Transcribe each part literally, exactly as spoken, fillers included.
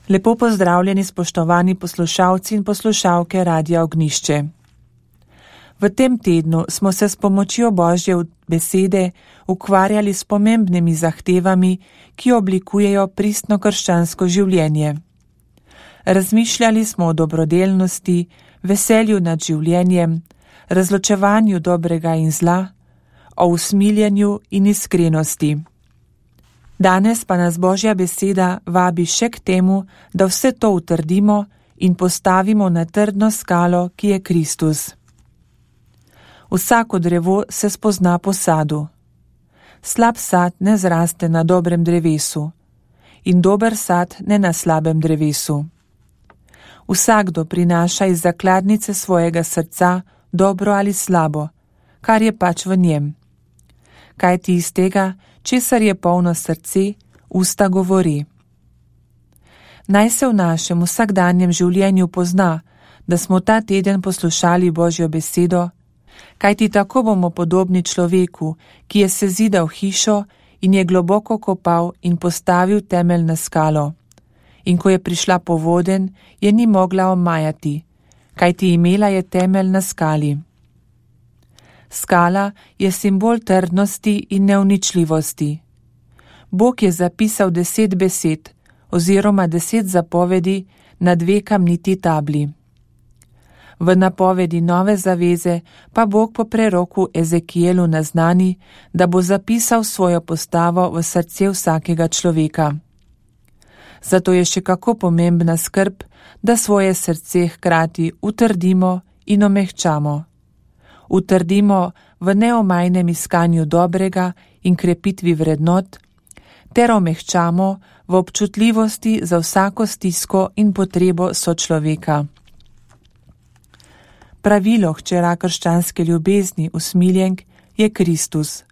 Lepo pozdravljeni spoštovani poslušalci in poslušalke Radia Ognišče. V tem tednu smo se s pomočjo Božje besede ukvarjali s pomembnimi zahtevami, ki oblikujejo pristno krščansko življenje. Razmišljali smo o dobrodelnosti, veselju nad življenjem, razločevanju dobrega in zla, o usmiljenju in iskrenosti. Danes pa nas Božja beseda vabi še k temu, da vse to utrdimo in postavimo na trdno skalo, ki je Kristus. Vsako drevo se spozna po sadu. Slab sad ne zraste na dobrem drevesu in dober sad ne na slabem drevesu. Vsakdo prinaša iz zakladnice svojega srca dobro ali slabo, kar je pač v njem. Kajti iz tega, česar je polno srce, usta govori. Naj se v našem vsakdanjem življenju pozna, da smo ta teden poslušali Božjo besedo, kajti tako bomo podobni človeku, ki je sezidal hišo in je globoko kopal in postavil temelj na skalo. In ko je prišla povodenj, je ni mogla omajati, kajti imela je temelj na skali. Skala je simbol trdnosti in neuničljivosti. Bog je zapisal deset besed oziroma deset zapovedi na dve kamniti tabli. V napovedi nove zaveze pa Bog po preroku Ezekijelu naznani, da bo zapisal svojo postavo v srce vsakega človeka. Zato je še kako pomembna skrb, da svoje srce hkrati utrdimo in omehčamo. Utrdimo v neomajnem iskanju dobrega in krepitvi vrednot, ter omehčamo v občutljivosti za vsako stisko in potrebo sočloveka. Pravilo hčera krščanske ljubezni, usmiljenk, je Kristus.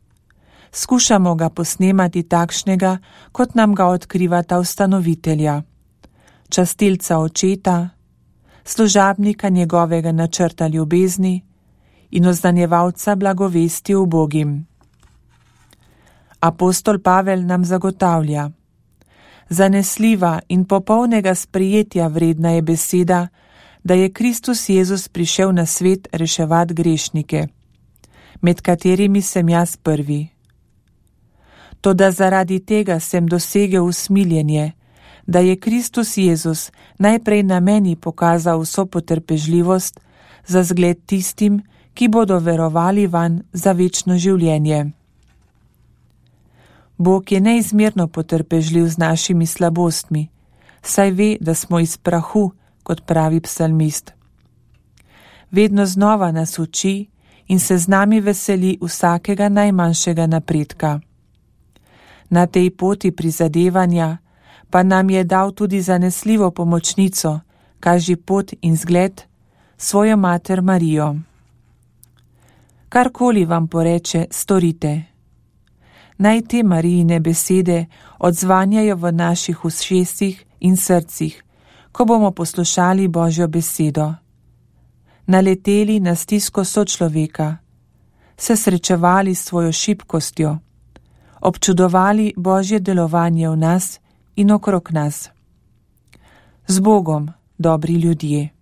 Skušamo ga posnemati takšnega, kot nam ga odkrivata ustanovitelja, častilca očeta, služabnika njegovega načrta ljubezni in oznanjevalca blagovesti ubogim. Apostol Pavel nam zagotavlja: zanesljiva in popolnega sprejetja vredna je beseda, da je Kristus Jezus prišel na svet reševat grešnike, med katerimi sem jaz prvi. Toda zaradi tega sem dosegel usmiljenje, da je Kristus Jezus najprej na meni pokazal vso potrpežljivost za zgled tistim, ki bodo verovali vanj za večno življenje. Bog je neizmerno potrpežljiv z našimi slabostmi, saj ve, da smo iz prahu, kot pravi psalmist. Vedno znova nas uči in se z nami veseli vsakega najmanjšega napredka. Na tej poti prizadevanja pa nam je dal tudi zanesljivo pomočnico, kaži pot in zgled, svojo mater Marijo. Karkoli vam poreče, storite. Naj te Marijine besede odzvanjajo v naših ušesih in srcih, ko bomo poslušali Božjo besedo. Naleteli na stisko sočloveka, se srečevali s svojo šibkostjo, občudovali Božje delovanje v nas in okrog nas. Z Bogom, dobri ljudje.